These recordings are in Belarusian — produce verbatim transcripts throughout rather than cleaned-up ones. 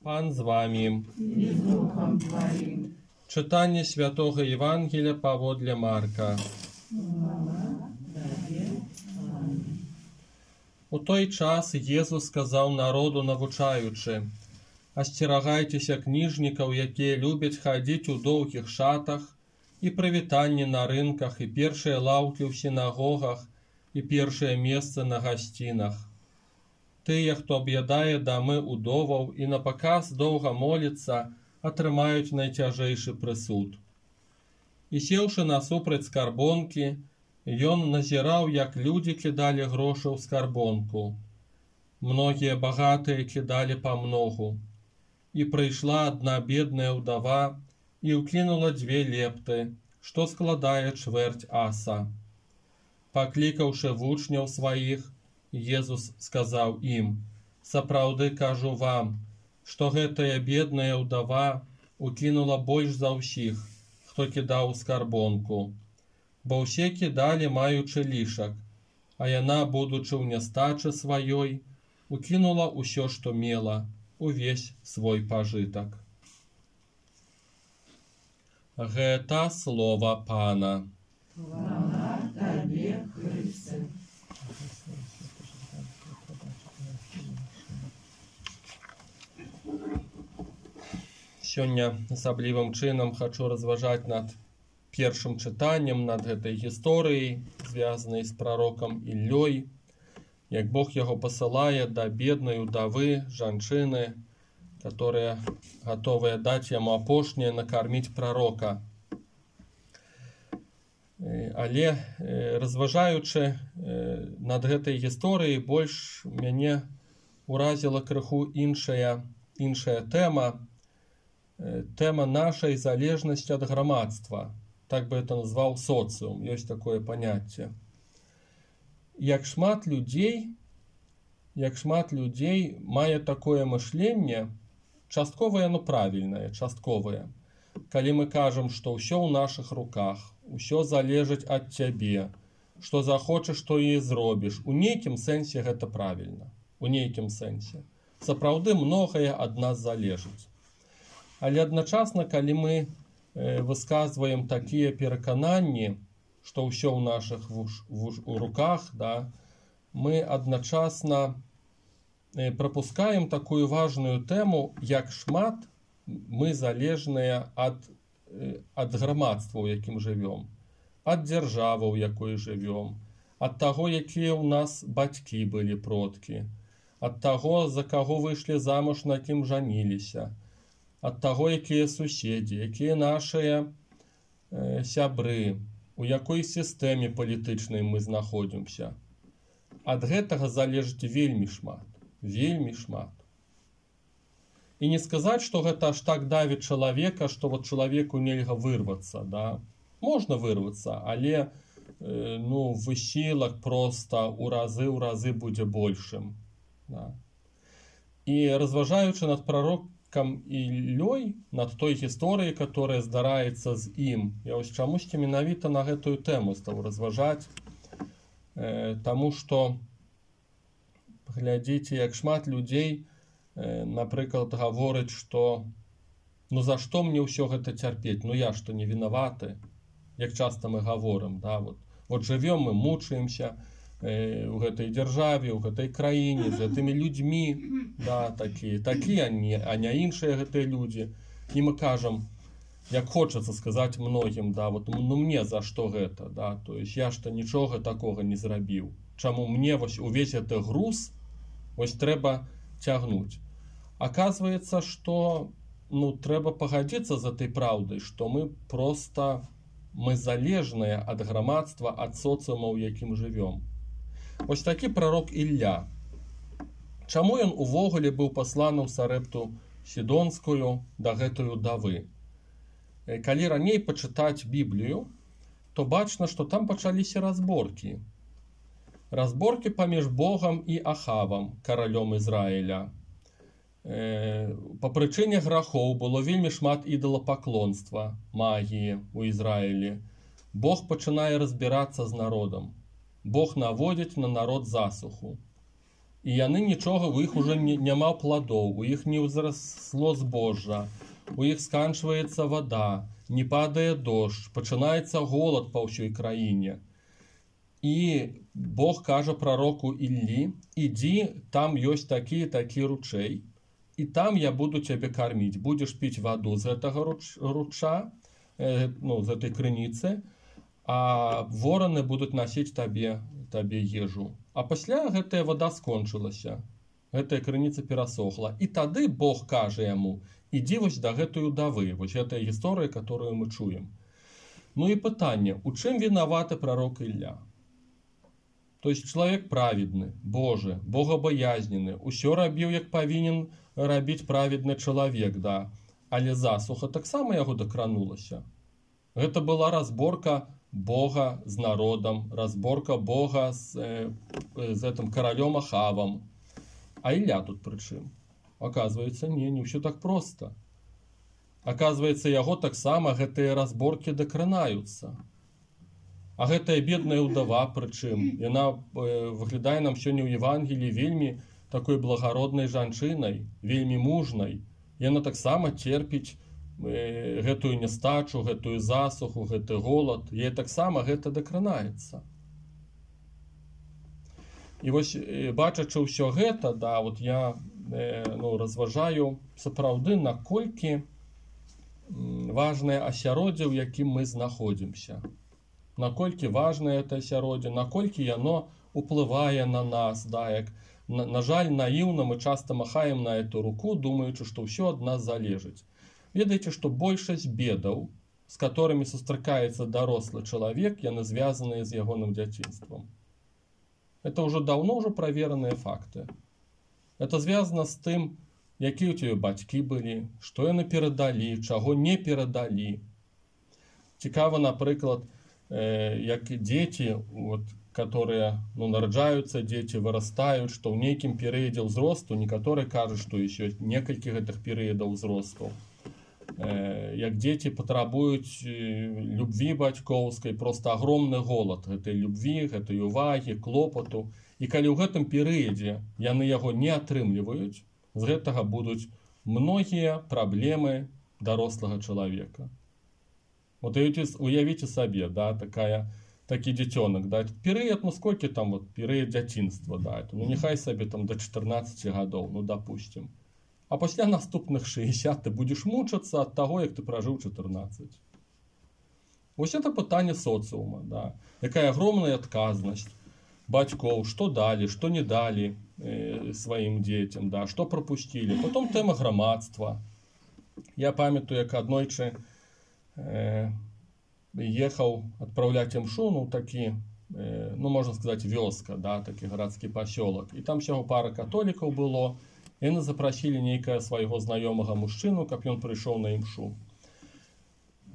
Пан з вами. И с Духом Твоим. Читання Святого Євангелія паводле Марка. У той час Єсус сказав народу, навучаючи: «Асцерагайцеся кніжнікаў, якія любяць хадзіць у доўгіх шатах, і прывітанні на рынках, і першыя лаўкі ў сінагогах, і першыя месцы на гасцінах. Тыя, хто аб'ядае дамы удоваў і напаказ доўга моліцца, атрымаюць найцяжэйшы прысуд». І сеўшы насупраць скарбонкі, ён назіраў, як людзі кідалі грошы ў скарбонку. Многія багатыя кідалі памногу. І прыйшла адна бедная ўдава і ўкінула дзве лепты, што складае чвэрць аса. Паклікаўшы вучняў сваіх, Езус сказаў ім: «Сапраўды кажу вам, што гэтая бедная ўдава укінула больш за ўсіх, хто кідаў у скарбонку. Бо ўсе кідалі, маючы лішак, а яна, будучы ў нястачы сваёй, укінула ўсё, што мела, увесь свой пажытак». Гэта слова Пана. Хвала Табе, Христе. Сёння асаблівым чынам хачу разважаць над першым чытаннем, над гэтай гісторыяй, звязанай з прарокам Іллёй, як Бог яго пасылае да беднай удавы, жанчыны, которая готовая даць яму апошняе накарміць прарока. Але разважаючы над гэтай гісторыяй, больш мяне уразіла крыху іншая, іншая тэма, тэма нашай залежнасці ад грамадства. Так бы это назваў социум, ёсць такое паняцце. Як шмат людзей, як шмат людзей мае такое мышленне, частковае, но правільнае, частковае. Калі мы кажам, што ўсё ў нашых руках, усё залежыць ад цябе, што захочаш, то і зробіш. У нейкім сэнсе гэта правільна. У нейкім сэнсе. Сапраўды многае ад нас залежыць. Але адначасна, калі мы высказваем такія перакананні, што ўсё ў нашых вуш, вуш, у руках, да, мы адначасна прапускаем такую важную тэму, як шмат мы залежныя ад, ад грамадства, у якім жывём, ад дзяржавы, у якой жывём, ад таго, якія ў нас бацькі былі, продкі, ад таго, за каго выйшлі замуж, на кім жаніліся, ад таго, якія суседзі, якія нашыя э, сябры, у якой сістэме палітычнай мы знаходзімся. Ад гэтага залежыць вельмі шмат, вельмі шмат. І не сказаць, што гэта аж так давіць чалавека, што вот чалавеку нельга вырвацца, да? Можна вырвацца, але э, ну, высілак проста ў разы ў разы будзе большым. Да? І разважаючы над прарокам Іллёй, над той гісторыяй, которая здараецца з ім, я ось чамусьці менавіта на гэтую тэму стаў разважаць, э, таму што глядзіце, як шмат людзей, э, напрыклад, гаворыць, што ну за што мне ўсё гэта цярпець, ну я што не вінаваты, як часта мы гаворым, да, вот, вот жывём мы, мучаемся у гэтай дзяржаве, у гэтай краіне, з гэтымі людзьмі, да, такія, такія, а не іншыя гэтыя людзі. І мы кажам, як хочацца сказаць многім, да, вот, ну мне за што гэта, да, то есть я што нічога такога не зрабіў. Чаму мне вось увесь гэты груз вось трэба цягнуць? Аказваецца, што ну трэба пагадзіцца з этой праўдай, што мы проста мы залежныя ад грамадства, ад соцыума, у якім жывём. Ось такі прарок Ілля. Чаму ён увогуле быў пасланы ў Сарэпту Сідонскую да гэтай удавы? Калі раней пачытаць Біблію, то бачна, што там пачаліся разборкі. Разборкі паміж Богам і Ахавам, каралём Ізраіля. Па прычыне грахоў было вельмі шмат ідалапаклонства, магіі ў Ізраілі. Бог пачынае разбірацца з народам. Бог наводзіць на народ засуху. І яны нічога, у іх уже не, няма пладоў, у іх не ўзрасло збожжа, у іх сканчваецца вада, не падае дождж, пачынаецца голад па ўсёй краіне. І Бог кажа прароку Іллі: ідзі, там ёсць такі і такі ручэй, і там я буду цябе карміць, будзеш піць ваду з гэтага руч, руча, э, ну, з гэтай крыніцы, а вораны будуць насіць табе, табе ежу. А пасля гэтая вада скончылася, гэтая крыніца перасохла. І тады Бог кажа яму: ідзі вось да гэтай удавы, вось гэтая гісторыя, которую мы чуем. Ну і пытанне, у чым вінаваты прарок Ілля? То есть чалавек праведны, Божы, богабаязнены, усё рабіў, як павінен рабіць праведны чалавек, да. Але засуха таксама яго дакранулася. Гэта была разборка Бога з народам, разборка Бога з, э, з гэтым каралём Ахавам. А Ілля тут пры чым? Аказваецца, не, не ўсё так проста. Аказваецца, яго таксама гэтыя разборкі дакранаюцца. А гэтая бедная ўдава, прычым, яна э, выглядае нам сёння ў Евангеліі вельмі такой благароднай жанчынай, вельмі мужнай. Яна таксама терпіць э, гэтую нястачу, гэтую засуху, гэты голад. Яе таксама гэта дакранаецца. І вось, э, бачачы ўсё гэта, да, вот я э, ну, разважаю сапраўды, наколькі важнае асяроддзе, у якім мы знаходзімся. Наколькі важнае гэта асяроддзе, наколькі яно уплывае на нас, да, як, на, на жаль, наіўна мы часта махаем на эту руку, думаючы, што ўсё ад нас залежыць. Ведаеце, што большасць бедаў, з которымі сустракаецца дарослы чалавек, яны звязаныя з ягоным дзяцінствам. Это ўжо даўно ўжо правераныя факты. Это звязана з тым, якія ў цябе бацькі былі, што яны перадалі, чаго не перадалі. Цікава, напрыклад, як дзеці, вот, которые, ну, нараджаюцца дзеці, вырастаюць, што ў нейкім перыядзе ўзросту, некаторыя кажуць, што ёсць некалькі гэтых перыядаў ўзросту. Як дзеці патрабуюць любві бацькоўскай, проста агромны голад гэтай любві, гэтай увагі, клопату. І калі ў гэтым перыядзе яны яго не атрымліваюць, з гэтага будуць многія праблемы дарослага чалавека. Вот уявіце сабе, да, такая, такі дзіцёнак, да, перыяд, ну сколькі там вот перыяд дзяцінства, да, это, ну нехай сабе там до чатырнаццаці гадоў, ну допустим. А пасля наступных шэсцьдзесят ты будзеш мучацца ад таго, як ты пражыў чатырнаццаць. Вось это пытанне соцыума, да, якая агромная адказнасць бацькоў, што далі, што не далі э, сваім дзецям, да, што прапусцілі. Потом тэма грамадства. Я памятаю, як аднойчы ехаў адпраўляць імшу, ну такі, э, ну можна сказаць, вёска, да, такі гарадскі пасёлак. І там сяго пара католікаў было, яны запрасілі нейкага свайго знаёмага мужчыну, каб ён прыйшоў на імшу.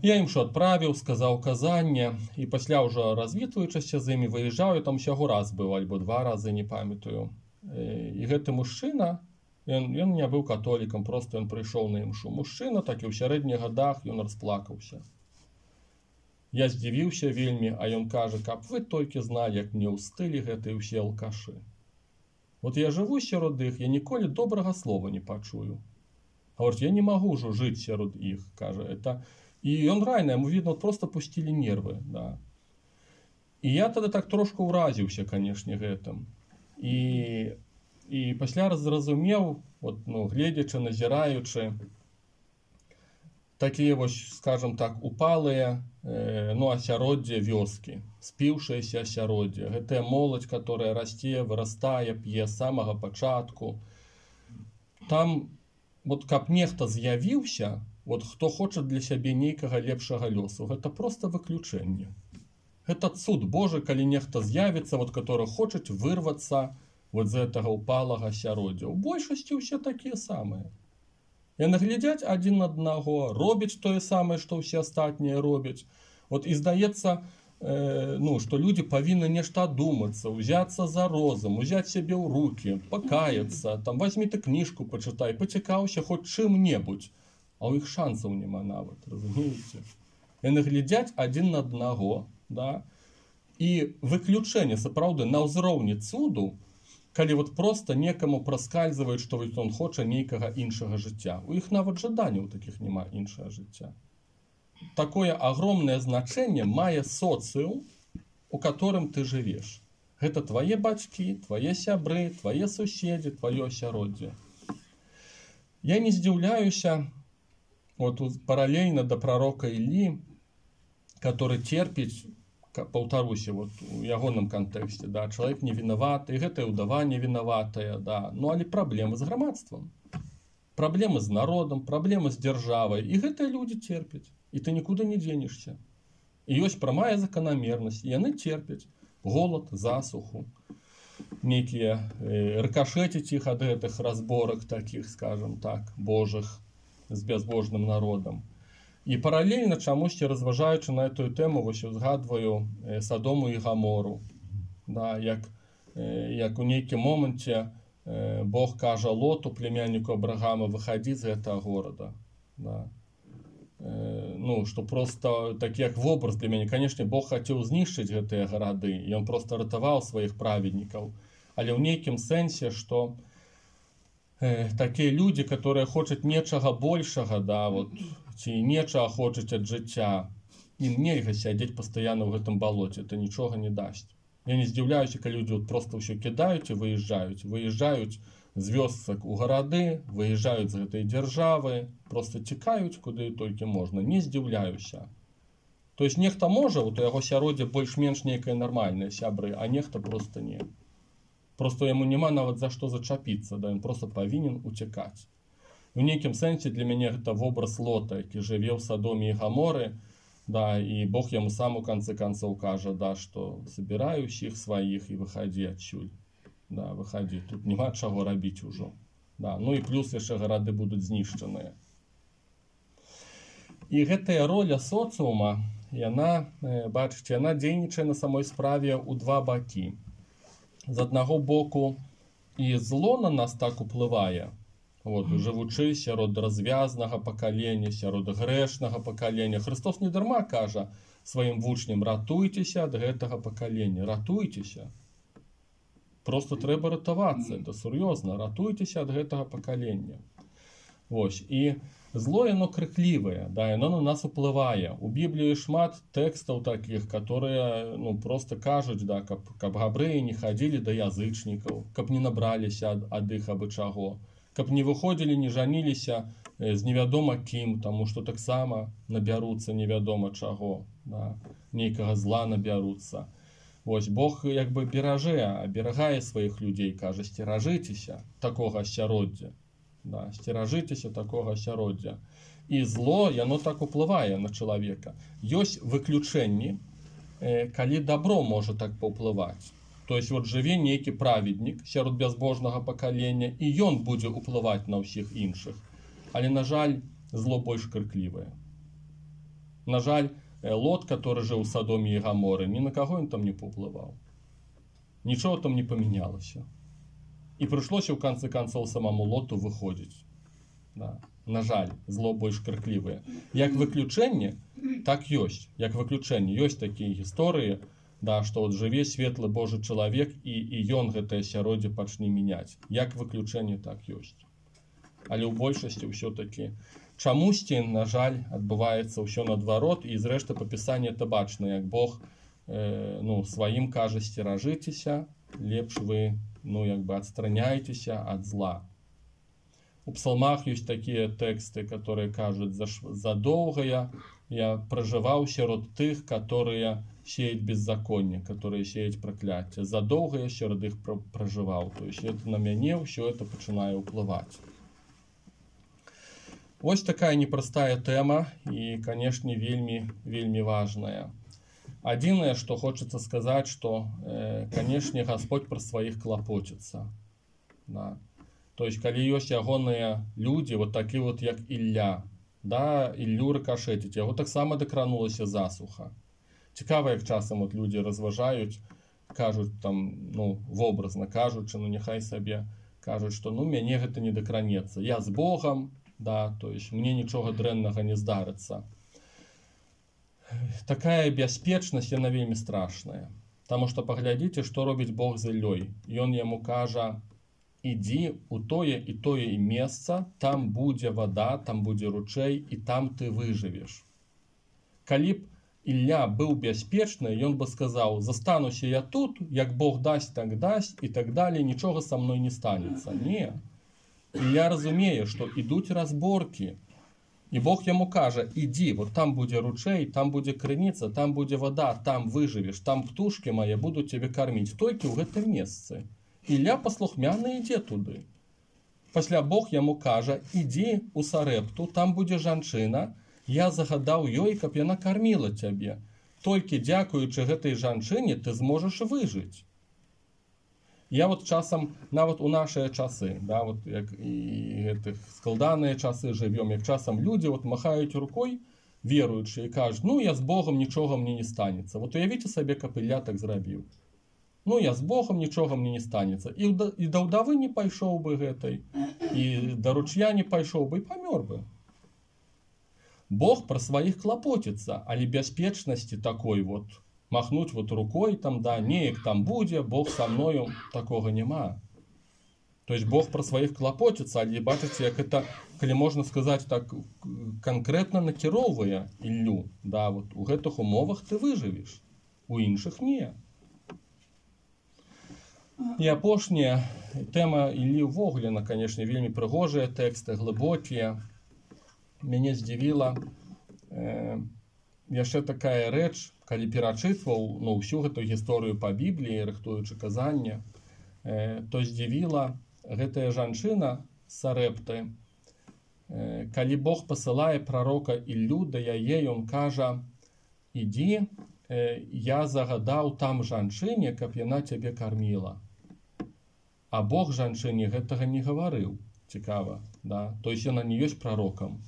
Я імшу адправіў, сказаў казанне, і пасля ўжо развітваючыся з імі выязджаю, там усяго раз быў, альбо два разы, не памятаю. І гэты мужчына, Ён, ён не быў католікам, просто ён прыйшоў на імшу. Мужчына, такі ў сярэдніх гадах, ён расплакаўся. Я здзівіўся вельмі, а ён кажа, каб вы толькі зналі, як мне ўстылі гэтыя ўсе алкашы. Вот я жыву сярод іх, я ніколі добрага слова не пачую. Гаворыць, я не магу ўжо жыць сярод іх, кажа. Это... І ён райна, яму видно, просто пусцілі нервы, да. І я тады так трошку ўразіўся, канешне, гэтым. І... І пасля зразумеў, вот, ну, гледзячы, назіраючы, такія вось, скажем так, упалыя э, ну, асяроддзе вёскі, спіўшаяся асяроддзе. Гэтая моладзь, которая расце, вырастае, п'е з самага пачатку. Там, вот, каб нехта з'явіўся, вот, хто хоча для сябе нейкага лепшага лёсу, гэта проста выключэнне. Гэта цуд Божы, калі нехта з'явіцца, вот, который хочуць вырвацца вот з гэтага упалага асяроддзя. У большасці ўсе такія самыя. Яны глядзяць адзін на аднаго, робяць тое самае, што ўсе астатнія робяць. Вот і здаецца, э, ну, што людзі павінны нешта адумацца, узяцца за розум, узяць сябе ў рукі, пакаяцца, там возьмі ты кніжку пачытай, пацікаўся хоць чым-небудзь. А ў іх шансаў няма нават, разумееце? Яны глядзяць адзін на аднаго, да? І выключэнне, сапраўды, на ўзроўні цуду, калі вот просто некаму праскальзываюць, што ён хоча нейкага іншага жыцця. У іх нават жаданняў такіх няма іншага жыцця. Такое огромное значение мае социум, у которым ты жывеш. Гэта твае бацькі, твае сябры, твае суседзі, тваё асяроддзе. Я не здзіўляюся, вот параллельно до пророка Іллі, который терпіць, паўтаруся, вот у ягоным кантэксце, да, чалавек не вінаваты, і гэтая ўдава не вінаватая, да, ну але праблемы з грамадствам, праблемы з народам, праблемы з дзяржавай, і гэтыя людзі терпяць, і ты нікуды не дзенешся. І ёсць прамая заканамернасць, і яны терпяць голад, засуху, нейкія э, рыкашэціць іх ад гэтых разборак такіх, скажем так, божых з бязбожным народам. І паралельна чамусьці разважаючы на эту тэму, вось узгадваю э, Садому і Гамору, да, як, э, як у нейкім моманце э, Бог кажа Лоту, племянніку Абрагама, выхадзі з гэтага горада. Да. Э, ну, што просто так як вобраз для мяне, канешне, Бог хацеў знішчыць гэтыя гарады, і ён просто ратаваў сваіх праведнікаў. Але ў нейкім сэнсе, што э, такія людзі, которые хочуць нечага большага, да, вот, ці нечага хочуць ад жыцця, ім нельга сядзець пастаянна ў гэтым балоце, это нічога не дасць. Я не здзіўляюся, калі людзі вот просто ўсё кідаюць і выязджаюць, выязджаюць з вёсак у гарады, выязджаюць з гэтай дзяржавы, просто цікаюць куды толькі можна, не здзіўляюся. То есть нехта можа, вот у яго сяроддзе больш-менш нейкае нармальнае сябры, а нехта просто не. Просто яму няма нават за што зачапіцца, да, ён просто павінен уцякаць. У нейкім сэнсе для мяне гэта вобраз Лота, які жыве ў Садоме і Гаморы, да, і Бог яму сам у канцы канцоў кажа, да, што забірай усіх сваіх і выхадзі адсюль. Да, выхадзі, тут няма чаго рабіць ужо. Да, ну і плюс яшчэ гарады будуць знішчаныя. І гэтая роля соцыума, яна, бачыце, яна дзейнічае на самой справе ў два бакі. З аднаго боку, і зло на нас так уплывае, вот, жывучы сярод развязнага пакалення, сярод грэшнага пакалення. Христос не дарма кажа сваім вучням: ратуйцеся ад гэтага пакалення, ратуйцеся. Просто трэба ратавацца, это сур'ёзна, ратуйцеся ад гэтага пакалення. Вось, і зло яно крыклівае, да, яно на нас уплывае. У Бібліі шмат тэкстаў такіх, которые, ну, просто кажуць, да, каб, каб габрэі не хадзілі да язычнікаў, каб не набраліся ад, ад іх абы чаго, каб не выходзілі, не жаніліся з невядома кім, таму што таксама набяруцца невядома чаго, да, нейкага зла набяруцца. Вось, Бог як бы беражэ, аберагае сваіх людзей, кажа: сцеражыцеся такога асяроддзя, да, сцеражыцеся такога асяроддзя. І зло, яно так уплывае на чалавека. Ёсць выключэнні, э, калі дабро можа так паўплываць. То есть вот жыве нейкі праведнік сярод бязбожнага пакалення, і ён будзе ўплываць на ўсіх іншых. Але, на жаль, зло больш крыклівае. На жаль, Лот, который жыў у Садоме і Гаморы, ні на каго ён там не паўплываў. Нічого там не памянялася. І прыйшлося ў канцы канцоў самому Лоту выходзіць. Да. На жаль, зло больш крыклівае. Як выключэнне, так ёсць. Як выключэнне, ёсць такія гісторыі, да, што от жыве светлы Божы чалавек, і, і ён гэтае асяроддзе пачне мяняць. Як выключэнне, так ёсць. Але ў большасці ўсё-такі чамусьці, на жаль, адбываецца ўсё наадварот, і зрэшты па Пісанні это бачна, як Бог э, ну, сваім кажа: сцеражыцеся, лепш вы, ну, як бы адстраняйцеся ад зла. У псалмах ёсць такія тэксты, которые кажуць: задоўга я пражываў сярод тых, которые сеять беззаконие, которые сеять прокляття. Задолго я сярод іх пражываў. То есть это на мяне ўсё это пачынае ўплываць. Вось такая непростая тэма і, канешне, вельмі вельмі важная. Адзінае, што хочацца сказаць, што, э, канешне, Господь пра сваіх клапоціцца. Да. То есть калі ёсць ягоныя людзі, вот такі вот як Ілля, да, Іллю рыкашэціць, яго таксама дакранулася засуха. Цікава, як часам от людзі разважаюць, кажуць там, ну, вобразна кажучы, ну, няхай сабе кажуць, што, ну, мяне гэта не дакранецца. Я з Богам, да, то есть мне нічога дрэннага не здарыцца. Такая бяспечнасць, яна вельмі страшная. Таму што паглядзіце, што робіць Бог з Іллёй. Ён яму кажа: ідзі у тое і тое і месца, там будзе вада, там будзе ручэй, і там ты выжывеш. Калі б Ілля быў бяспечны, ён бы сказаў: застануся я тут, як Бог дасць, так дасць, і так далей, нічога са мной не станецца. Не. Ілля разумее, што ідуць разборкі. І Бог яму кажа: ідзі, вот там будзе ручэй, там будзе крыніца, там будзе вада, там выжывеш, там птушкі мае будуць цябе карміць, толькі ў гэтым месцы. Ілля паслухмяна ідзе туды. Пасля Бог яму кажа: ідзі ў Сарэпту, там будзе жанчына, я загадаў ёй, каб яна карміла цябе. Толькі дзякуючы гэтай жанчыне ты зможаш выжыць. Я вот часам, нават у нашыя часы, да, вот як і гэтых складаныя часы жывём, як часам людзі вот махаюць рукой, веруючыя, і кажуць: ну я з Богом, нічога мне не станецца. Вот уявіце сабе, каб Ілля так зрабіў. Ну я з Богом, нічога мне не станецца. І, і да ўдавы не пайшоў бы гэтай, і да ручья не пайшоў бы, і памёр бы. Бог пра сваіх клапоціцца, але бяспечнасці такой вот, махнуць вот рукой, там, да, неяк там будзе, Бог са мною, такога няма. То есть Бог пра сваіх клапоціцца, але бачыце, як это, калі можна сказаць так, канкрэтна накіроўвае Іллю. Да, вот у гэтых умовах ты выжывеш, у іншых не. І апошняя тэма Іллі ўвогуле, на, канешне, вельмі прыгожыя тэксты, глыбокія. Мяне здзівіла э, яшчэ такая рэч, калі перачытваў, ну, ўсю гэту гісторыю па Бібліі, рыхтуючы казанне, э, то здзівіла гэтая жанчына з Сарэпты. Э, калі Бог пасылае прарока Іллю да яе, ён кажа: ідзі, э, я загадаў там жанчыне, каб яна цябе карміла. А Бог жанчыне гэтага не гаварыў. Цікава, да? То есть яна не ёсць прарокам.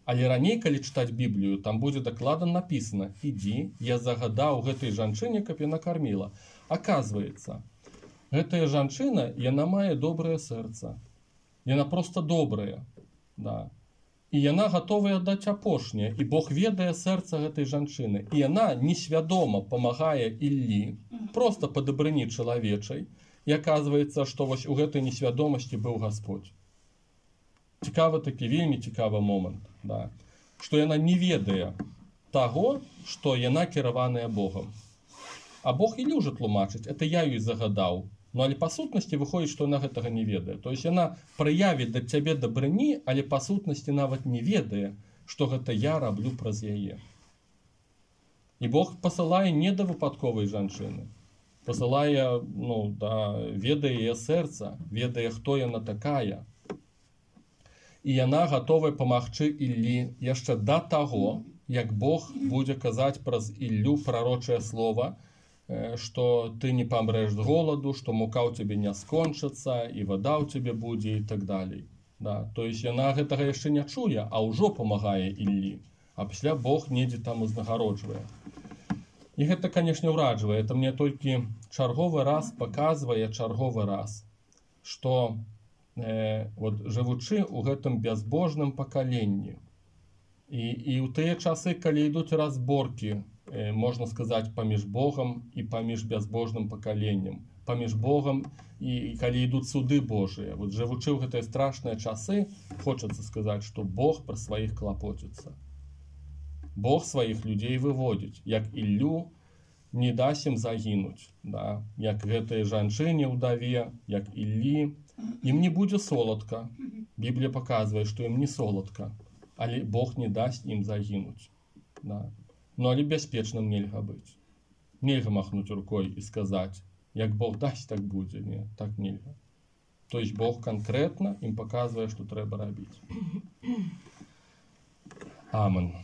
Але раней, калі чытаць Біблію, там будзе дакладна напісана: ідзі, я загадаў гэтай жанчыне, каб яна карміла. Аказваецца, гэтая жанчына, яна мае добрае сэрца. Яна проста добрая. Да. І яна гатовая аддаць апошняе. І Бог ведае сэрца гэтай жанчыны. І яна несвядома памагае Іллі, проста па дабрыні чалавечай. І аказваецца, што вось у гэтай несвядомасці быў Гасподзь. Цікавы такі, вельмі цікавы момант, да, што яна не ведае таго, што яна кіраваная Богам. А Бог Іллю ўжо тлумачыць: это я ёй загадаў. Ну, але па сутнасці выходзіць, што яна гэтага не ведае. То есть яна праявіць да цябе дабрыні, але па сутнасці нават не ведае, што гэта я раблю праз яе. І Бог пасылае не да выпадковай жанчыны. Пасылае, ну, да, ведае яе сэрца, ведае, хто яна такая. І яна гатовая памагчы Іллі яшчэ да таго, як Бог будзе казаць праз Іллю прарочае слова, што ты не памрэш з голаду, што мука ў цябе не скончыцца, і вада ў цябе будзе, і так далей. Да. То есть яна гэтага яшчэ не чуе, а ўжо памагае Іллі. А пасля Бог недзе там узнагароджвае. І гэта, канешне, ўраджвае. Это мне толькі чарговы раз паказвае, чарговы раз, што Э, вот, жывучы ў гэтым бязбожным пакаленні, і, і ў тыя часы, калі ідуць разборкі, э, можна сказаць, паміж Богам і паміж бязбожным пакаленнем, паміж Богам і, і калі ідуць суды Божыя, вот, жывучы ў гэтыя страшныя часы, хочацца сказаць, што Бог пра сваіх клапоціцца. Бог сваіх людзей выводзіць, як Іллю не дасць ім загінуць, да? Як гэтай жанчыне ўдаве, як Іллі. Ім не будзе соладка. Біблія паказвае, што ім не соладка, але Бог не дасць ім загінуць. Да. Ну, але бяспечным нельга быць. Нельга махнуць рукой і сказаць: як Бог дасць, так будзе. Не, так нельга. То есть Бог канкрэтна ім паказвае, што трэба рабіць. Амен.